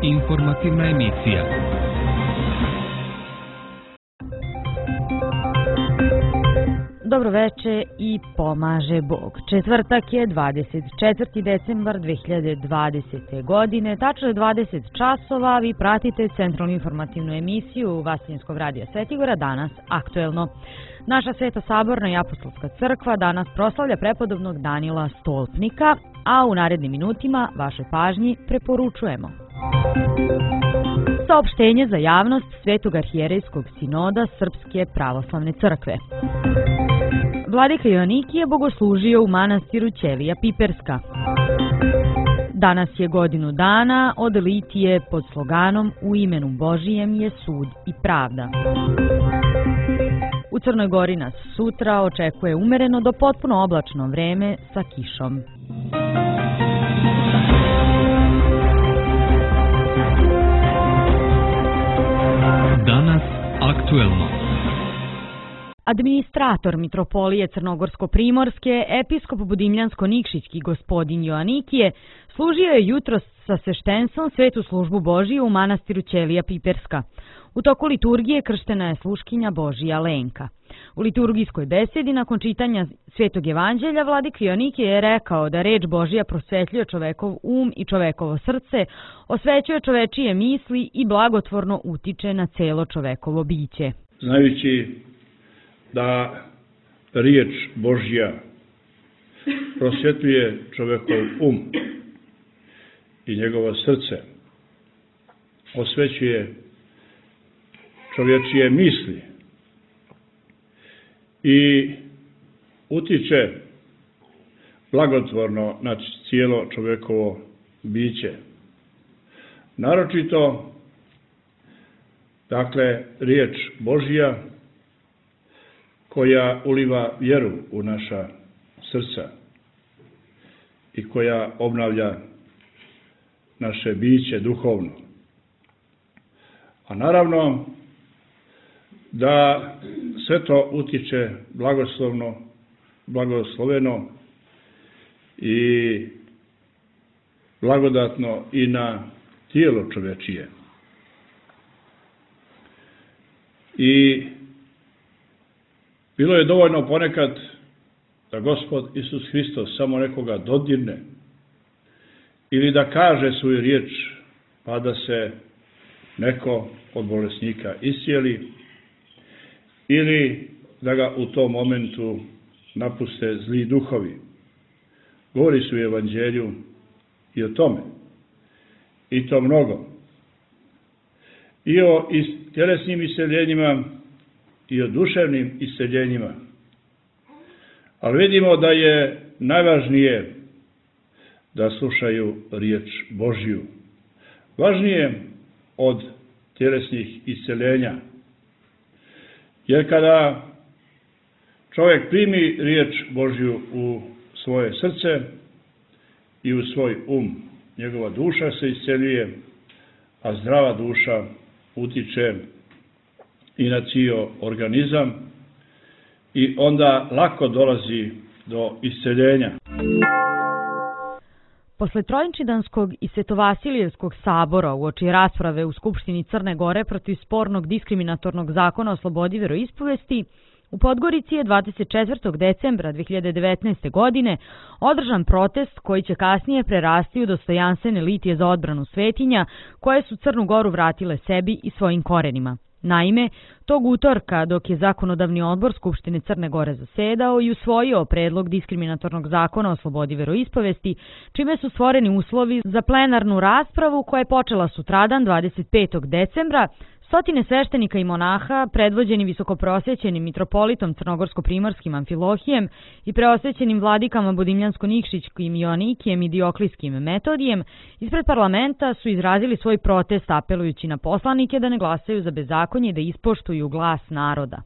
Informativna emisija. Dobroveče i pomaže Bog. Četvrtak je 24. decembar 2020. godine, tačno je 20 časova, vi pratite centralnu informativnu emisiju Vasiljenskog radija Svetigora, danas aktuelno. Naša Sveta Saborna i Apostolska crkva danas proslavlja prepodobnog Danila Stolpnika, a u narednim minutima vašoj pažnji preporučujemo saopštenje za javnost Svetog arhijerejskog sinoda Srpske pravoslavne crkve. Vladika Joanikije je bogoslužio u manastiru Ćelija Piperska. Danas je godinu dana od litije pod sloganom U imenu Božijem je sud i pravda. U Crnoj Gori nas sutra očekuje umereno do potpuno oblačno vreme sa kišom. Danas aktuelno. Administrator Mitropolije Crnogorsko-Primorske, episkop Budimljansko-Nikšićki gospodin Joanikije, služio je jutros sa sveštenstvom Svetu službu Božiju u manastiru Ćelija Piperska. U toku liturgije krštena je sluškinja Božija Lenka. U liturgijskoj besedi nakon čitanja Svetog evanđelja Vladik Joanikije je rekao da reč Božija prosvetljuje čovekov i čovekovo srce, osvećuje čovečije misli i blagotvorno utiče na celo čovekovo biće. Znajući da riječ Božja prosvjetljuje čovekov i njegovo srce, osvećuje čovječije misli i utiče blagotvorno na cijelo čovekovo biće. Naročito, dakle, riječ Božja koja uliva vjeru u naša srca i koja obnavlja naše biće duhovno. A naravno da sve to utiče blagosloveno i blagodatno i na tijelo čovečije. I bilo je dovoljno ponekad da Gospod Isus Hristos samo nekoga dodirne ili da kaže svoju riječ pa da se neko od bolesnika iscijeli ili da ga u tom momentu napuste zli duhovi. Govori se u evanđelju i o tome. I to mnogo. I o tjelesnim isceljenjima i o duševnim isceljenjima. Ali vidimo da je najvažnije da slušaju riječ Božju. Važnije od tjelesnih isceljenja. Jer kada čovjek primi riječ Božju u svoje srce i u svoj njegova duša se isceljuje, a zdrava duša utiče i na cijel organizam i onda lako dolazi do isceljenja. Posle Trojinčidanskog i Svetovasilijevskog sabora uoči rasprave u Skupštini Crne Gore protiv spornog diskriminatornog zakona o slobodi veroispovesti, u Podgorici je 24. decembra 2019. godine održan protest koji će kasnije prerasti u dostojanstvene litije za odbranu svetinja koje su Crnu Goru vratile sebi i svojim korenima. Naime, tog utorka, dok je Zakonodavni odbor Skupštine Crne Gore zasedao i usvojio predlog diskriminatornog zakona o slobodi veroispovesti, čime su stvoreni uslovi za plenarnu raspravu koja je počela sutradan 25. decembra, stotine sveštenika i monaha, predvođeni visokoprosvećenim mitropolitom Crnogorsko-Primorskim Amfilohijem i preosvećenim vladikama Budimljansko-Nikšićkim Joanikijem i Dioklijskim Metodijem, ispred parlamenta su izrazili svoj protest apelujući na poslanike da ne glasaju za bezakonje i da ispoštuju glas naroda.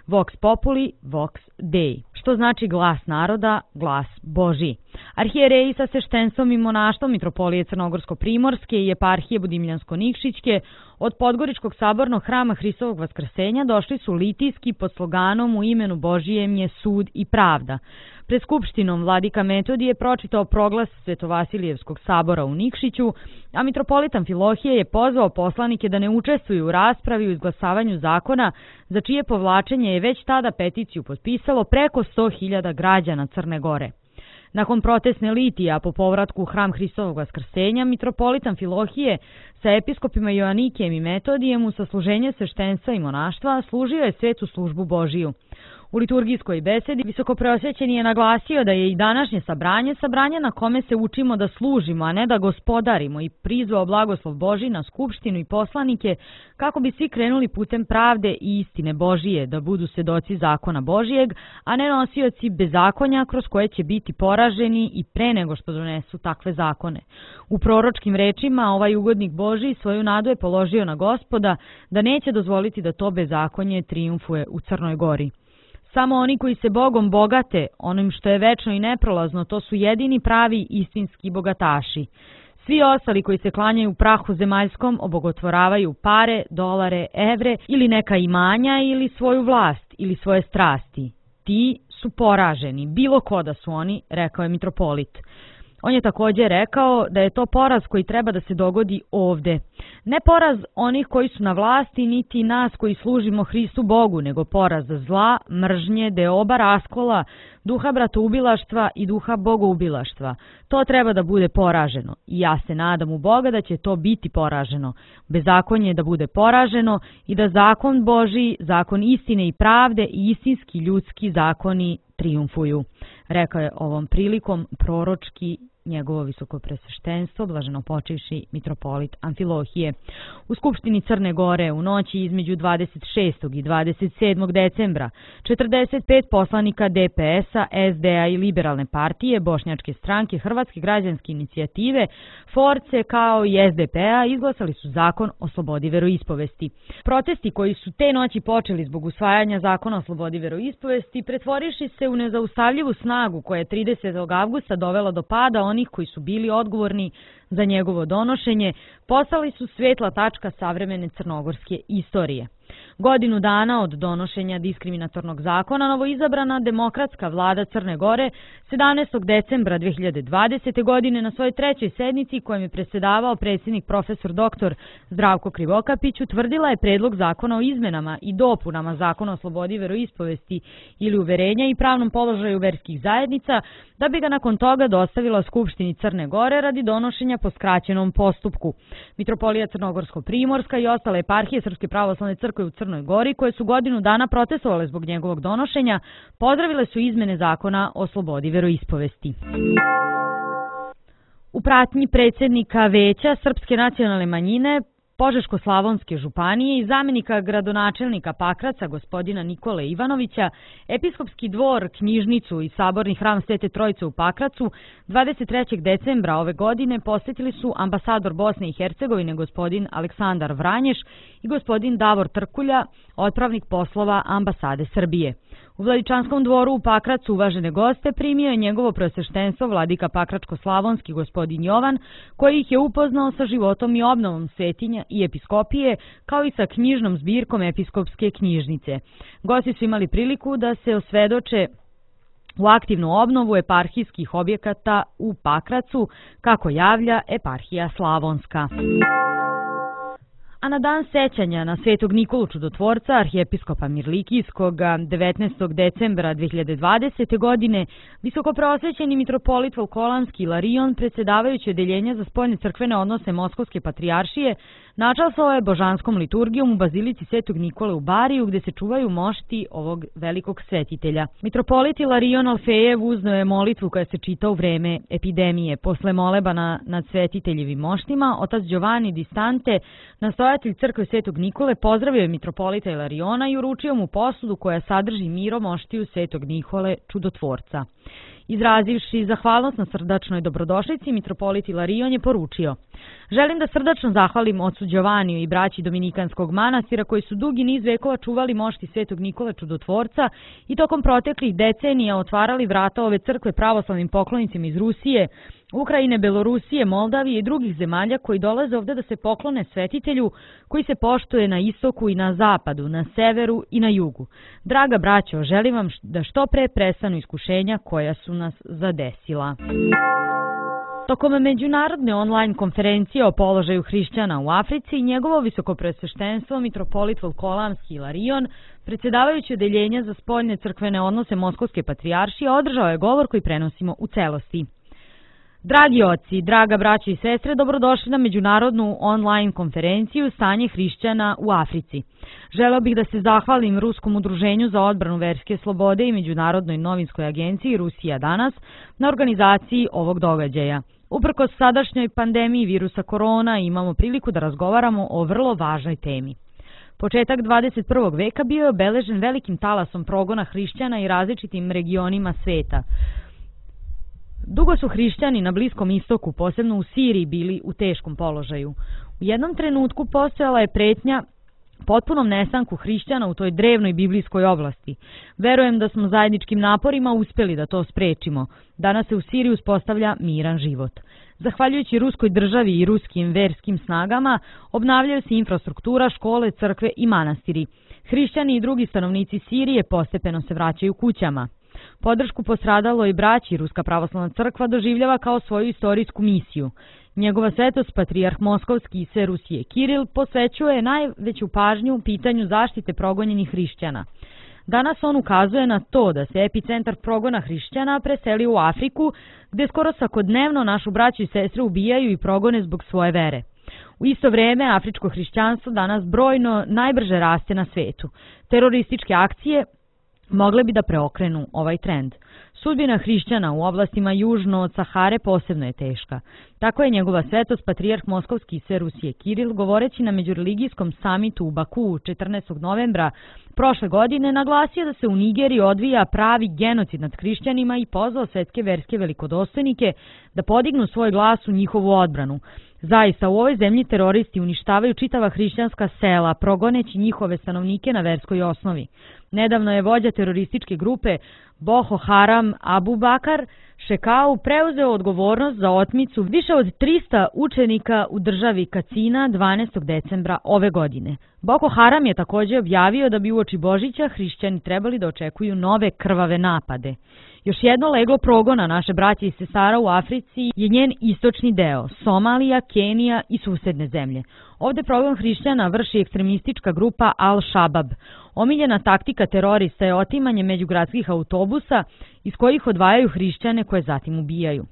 Vox populi, vox dei, što znači glas naroda, glas Božji. Arhijereji sa sveštenstvom i monaštvom Mitropolije Crnogorsko-Primorske i eparhije Budimljansko-Nikšićke od Podgoričkog sabornog hrama Hristovog Vaskrsenja došli su litijski pod sloganom U imenu Božijem je sud i pravda. Pred skupštinom vladika Metodije pročitao proglas Svetovasilijevskog sabora u Nikšiću, a mitropolit Amfilohije je pozvao poslanike da ne učestvuju u raspravi u izglasavanju zakona, za čije povlačenje je već tada peticiju potpisalo preko 100.000 građana Crne Gore. Nakon protestne litije, a po povratku u hram Hristovog Vaskrsenja, mitropolit Amfilohije sa episkopima Joanikijem i Metodijem u sasluženje sveštenstva i monaštva služio je svetu službu Božiju. U liturgijskoj besedi visokopreosvećeni je naglasio da je i današnje sabranje na kome se učimo da služimo, a ne da gospodarimo, i prizvao blagoslov Božji na skupštinu i poslanike kako bi svi krenuli putem pravde i istine Božije, da budu svedoci zakona Božijeg, a ne nosioci bezakonja kroz koje će biti poraženi i pre nego što donesu takve zakone. U proročkim rečima ovaj ugodnik Božji svoju nadu je položio na Gospoda da neće dozvoliti da to bezakonje trijumfuje u Crnoj Gori. Samo oni koji se Bogom bogate, onim što je večno i neprolazno, to su jedini pravi istinski bogataši. Svi ostali koji se klanjaju prahu zemaljskom obogotvoravaju pare, dolare, evre ili neka imanja ili svoju vlast ili svoje strasti. Ti su poraženi, bilo ko da su oni, rekao je mitropolit. On je također rekao da je to poraz koji treba da se dogodi ovde. Ne poraz onih koji su na vlasti, niti nas koji služimo Hristu Bogu, nego poraz zla, mržnje, deoba raskola, duha bratoubilaštva i duha bogoubilaštva. To treba da bude poraženo i ja se nadam u Boga da će to biti poraženo. Bezakonje da bude poraženo i da zakon Božji, zakon istine i pravde i istinski ljudski zakoni trijumfuju. Rekao je ovom prilikom proročki njegovo visokopresveštenstvo, blaženopočivši mitropolit Amfilohije. U Skupštini Crne Gore u noći između 26. i 27. decembra 45 poslanika DPS-a, SD-a i Liberalne partije, Bošnjačke stranke, Hrvatske građanske inicijative, Force kao i SDP-a izglasali su zakon o slobodi veroispovesti. Protesti koji su te noći počeli zbog usvajanja zakona o slobodi veroispovesti pretvoriši se u nezaustavljivu snagu koja je 30. avgusta dovela do pada onih koji su bili odgovorni za njegovo donošenje, postali su svetla tačka savremene crnogorske istorije. Godinu dana od donošenja diskriminatornog zakona, novoizabrana demokratska vlada Crne Gore 17. decembra 2020. godine na svojoj trećoj sednici kojem je predsjedavao predsjednik profesor dr. Zdravko Krivokapić utvrdila je predlog zakona o izmenama i dopunama zakona o slobodi veroispovesti ili uverenja i pravnom položaju verskih zajednica, da bi ga nakon toga dostavila Skupštini Crne Gore radi donošenja po skraćenom postupku. Mitropolija Crnogorsko-Primorska i ostale eparhije Srpske pravoslavne crkve u Crnoj Gori, koje su godinu dana protestovale zbog njegovog donošenja, pozdravile su izmene zakona o slobodi veroispovesti. U pratnji predsjednika Veća Srpske nacionalne manjine Požeško-slavonske županije i zamjenika gradonačelnika Pakraca gospodina Nikole Ivanovića, episkopski dvor, knjižnicu i saborni hram Svete Trojice u Pakracu 23. decembra ove godine posjetili su ambasador Bosne i Hercegovine gospodin Aleksandar Vranješ i gospodin Davor Trkulja, otpravnik poslova ambasade Srbije. U Vladičanskom dvoru u Pakracu uvažene goste primio je njegovo preosveštenstvo vladika Pakračko-slavonski gospodin Jovan, koji ih je upoznao sa životom i obnovom svetinja i episkopije, kao i sa knjižnom zbirkom episkopske knjižnice. Gosti su imali priliku da se osvedoče u aktivnu obnovu eparhijskih objekata u Pakracu, kako javlja eparhija Slavonska. A na dan sećanja na Svetog Nikolu Čudotvorca, arhijepiskopa Mirlikijskog, 19. decembra 2020. godine, visokopreosvećeni mitropolit Volkolanski Ilarion, predsjedavajući odeljenja za spoljne crkvene odnose Moskovske patrijaršije, načastvovao je božanskom liturgijom u bazilici Svetog Nikole u Bariju, gde se čuvaju mošti ovog velikog svetitelja. Mitropolit Ilarion Alfejev uznao je molitvu koja se čita u vreme epidemije. Posle molebana nad svetiteljevim moštima, otac Giovanni Distante, nastojatelj crkve Svetog Nikole, pozdravio je mitropolita Ilariona i uručio mu posudu koja sadrži miro moštiju Svetog Nikole Čudotvorca. Izrazivši zahvalnost na srdačnoj dobrodošlici, mitropolit Ilarion je poručio: želim da srdačno zahvalim ocu Đovaniju i braći Dominikanskog manastira koji su dugi niz vekova čuvali mošti Svetog Nikole Čudotvorca i tokom proteklih decenija otvarali vrata ove crkve pravoslavnim poklonicima iz Rusije, Ukrajine, Belorusije, Moldavije i drugih zemalja koji dolaze ovde da se poklone svetitelju koji se poštuje na istoku i na zapadu, na severu i na jugu. Draga braćo, želim vam da što pre prestanu iskušenja koja su nas zadesila. Tokom međunarodne online konferencije o položaju hrišćana u Africi, njegovo visokopresveštenstvo mitropolit Volkolamski Ilarion, predsjedavajući odeljenja za spoljne crkvene odnose Moskovske patrijaršije, održao je govor koji prenosimo u celosti. Dragi oci, draga braća i sestre, dobrodošli na međunarodnu online konferenciju Stanje hrišćana u Africi. Želeo bih da se zahvalim Ruskom udruženju za odbranu verske slobode i Međunarodnoj novinskoj agenciji Rusija danas na organizaciji ovog događaja. Uprkos sadašnjoj pandemiji virusa korona imamo priliku da razgovaramo o vrlo važnoj temi. Početak 21. veka bio je obeležen velikim talasom progona hrišćana i različitim regionima sveta. Dugo su hrišćani na Bliskom istoku, posebno u Siriji, bili u teškom položaju. U jednom trenutku postojala je pretnja potpunom nestanku hrišćana u toj drevnoj biblijskoj oblasti. Verujem da smo zajedničkim naporima uspjeli da to sprečimo. Danas se u Siriji uspostavlja miran život. Zahvaljujući ruskoj državi i ruskim verskim snagama, obnavljaju se infrastruktura, škole, crkve i manastiri. Hrišćani i drugi stanovnici Sirije postepeno se vraćaju kućama. Podršku postradaloj braći Ruska pravoslavna crkva doživljava kao svoju istorijsku misiju. Njegova svetost, patrijarh Moskovski i sve Rusije Kiril, posvećuje najveću pažnju pitanju zaštite progonjenih hrišćana. Danas on ukazuje na to da se epicentar progona hrišćana preseli u Afriku, gde skoro svakodnevno našu braću i sestre ubijaju i progone zbog svoje vere. U isto vrijeme, afričko hrišćanstvo danas brojno najbrže raste na svetu. Terorističke akcije mogle bi da preokrenu ovaj trend. Sudbina hrišćana u oblastima južno od Sahare posebno je teška. Tako je njegova svetost patrijarh Moskovski i sve Rusije Kiril, govoreći na međureligijskom samitu u Bakuu 14. novembra prošle godine, naglasio da se u Nigeriji odvija pravi genocid nad hrišćanima i pozvao svetske verske velikodostojnike da podignu svoj glas u njihovu odbranu. Zaista, u ovoj zemlji teroristi uništavaju čitava hrišćanska sela, progoneći njihove stanovnike na verskoj osnovi. Nedavno je vođa terorističke grupe Boko Haram Abu Bakar Šekau preuzeo odgovornost za otmicu više od 300 učenika u državi Kacina 12. decembra ove godine. Boko Haram je također objavio da bi uoči Božića hrišćani trebali da očekuju nove krvave napade. Još jedno leglo progona naše braće i sestara u Africi je njen istočni deo, Somalija, Kenija i susedne zemlje. Ovdje progon hrišćana vrši ekstremistička grupa Al-Shabaab. Omiljena taktika terorista je otimanje međugradskih autobusa iz kojih odvajaju hrišćane koje zatim ubijaju.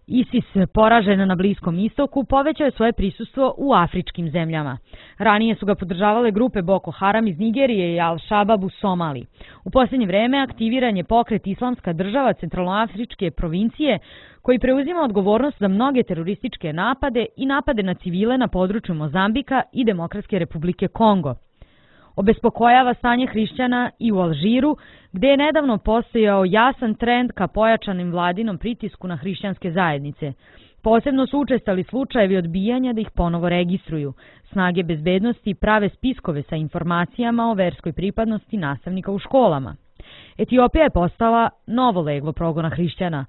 ISIS, poražena na Bliskom istoku, povećao je svoje prisustvo u afričkim zemljama. Ranije su ga podržavale grupe Boko Haram iz Nigerije i Al-Shabaab u Somaliji. U posljednje vreme aktiviran je pokret Islamska država centralnoafričke provincije, koji preuzima odgovornost za mnoge terorističke napade i napade na civile na području Mozambika i Demokratske republike Kongo. Obespokojava stanje hrišćana i u Alžiru, gdje je nedavno postojao jasan trend ka pojačanim vladinom pritisku na hrišćanske zajednice. Posebno su učestali slučajevi odbijanja da ih ponovo registruju. Snage bezbednosti prave spiskove sa informacijama o verskoj pripadnosti nastavnika u školama. Etiopija je postala novo leglo progona hrišćana.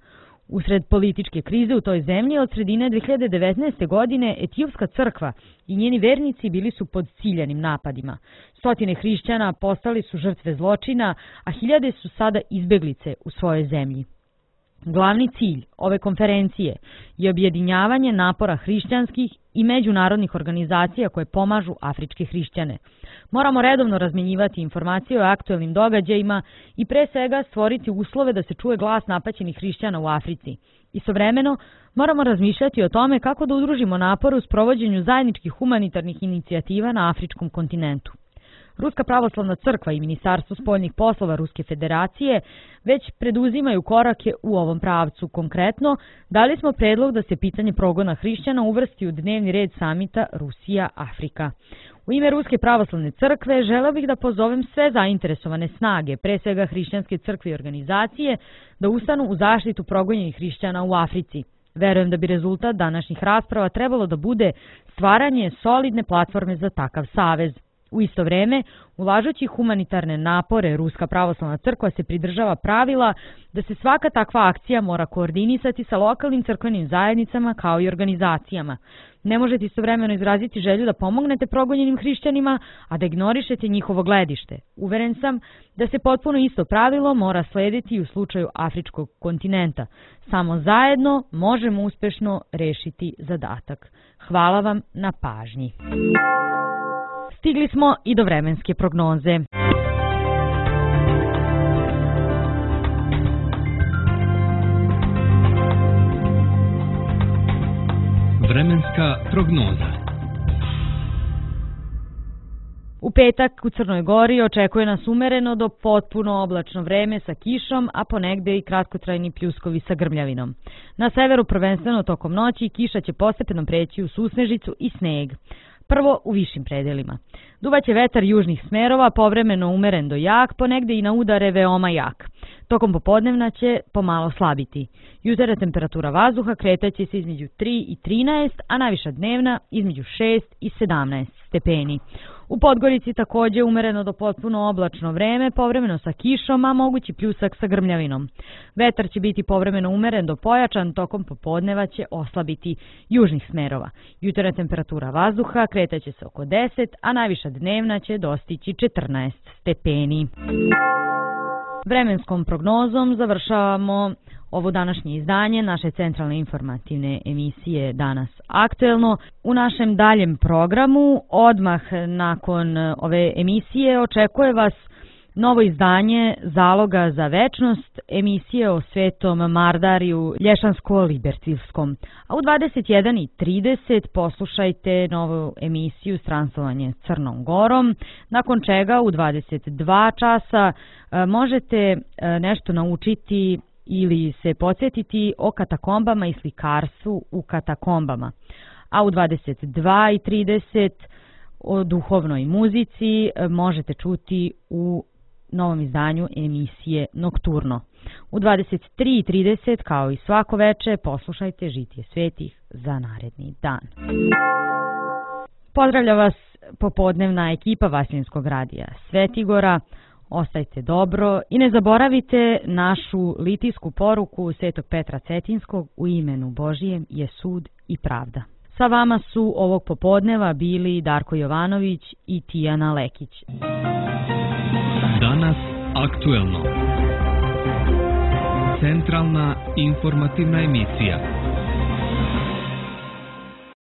Usred političke krize u toj zemlji od sredine 2019. godine Etiopska crkva i njeni vernici bili su pod ciljanim napadima. Stotine hrišćana postali su žrtve zločina, a hiljade su sada izbeglice u svojoj zemlji. Glavni cilj ove konferencije je objedinjavanje napora hrišćanskih i međunarodnih organizacija koje pomažu afričke hrišćane. Moramo redovno razmjenjivati informacije o aktuelnim događajima i pre svega stvoriti uslove da se čuje glas napaćenih hrišćana u Africi. Istovremeno, moramo razmišljati o tome kako da udružimo napor u sprovođenju zajedničkih humanitarnih inicijativa na afričkom kontinentu. Ruska pravoslavna crkva i Ministarstvo spoljnih poslova Ruske federacije već preduzimaju korake u ovom pravcu. Konkretno, dali smo predlog da se pitanje progona hrišćana uvrsti u dnevni red samita Rusija-Afrika. U ime Ruske pravoslavne crkve želeo bih da pozovem sve zainteresovane snage, pre svega hrišćanske crkve i organizacije, da ustanu u zaštitu progonjenih hrišćana u Africi. Verujem da bi rezultat današnjih rasprava trebalo da bude stvaranje solidne platforme za takav savez. U isto vreme, ulažući humanitarne napore, Ruska pravoslavna crkva se pridržava pravila da se svaka takva akcija mora koordinisati sa lokalnim crkvenim zajednicama kao i organizacijama. Ne možete istovremeno izraziti želju da pomognete progonjenim hrišćanima, a da ignorišete njihovo gledište. Uveren sam da se potpuno isto pravilo mora slediti u slučaju afričkog kontinenta. Samo zajedno možemo uspešno rešiti zadatak. Hvala vam na pažnji. Stigli smo i do vremenske prognoze. Vremenska prognoza. U petak u Crnoj Gori očekuje nas umereno do potpuno oblačno vreme sa kišom, a ponegde i kratkotrajni pljuskovi sa grmljavinom. Na severu prvenstveno tokom noći kiša će postepeno preći u susnežicu i sneg. Prvo u višim predelima. Duvaće vetar južnih smerova, povremeno umeren do jak, ponegde i na udare veoma jak. Tokom popodnevna će pomalo slabiti. Jutarnja temperatura vazduha kretaće se između 3 i 13, a najviša dnevna između 6 i 17 stepeni. U Podgorici takođe umereno do potpuno oblačno vreme, povremeno sa kišom, a mogući pljusak sa grmljavinom. Vetar će biti povremeno umeren do pojačan, tokom popodneva će oslabiti južnih smerova. Jutarnja temperatura vazduha kretaće se oko 10, a najviša dnevna će dostići 14 stepeni. Vremenskom prognozom završavamo ovo današnje izdanje naše centralne informativne emisije Danas aktuelno. U našem daljem programu, odmah nakon ove emisije, očekuje vas novo izdanje Zaloga za večnost, emisije o Svetom Mardariju Lješansko-Libercivskom. A u 21:30 poslušajte novu emisiju Stransovanje Crnom Gorom, nakon čega u 22 časa možete nešto naučiti ili se podsjetiti o katakombama i slikarstvu u katakombama. A u 22:30 o duhovnoj muzici možete čuti u novom izdanju emisije Nokturno. U 23:30, kao i svako veče, poslušajte Žitije svetih za naredni dan. Pozdravlja vas popodnevna ekipa Vasiljenskog radija Svetigora. Ostajte dobro i ne zaboravite našu litijsku poruku Svetog Petra Cetinskog: u imenu Božijem je sud i pravda. Sa vama su ovog popodneva bili Darko Jovanović i Tijana Lekić. Danas aktuelno. Centralna informativna emisija.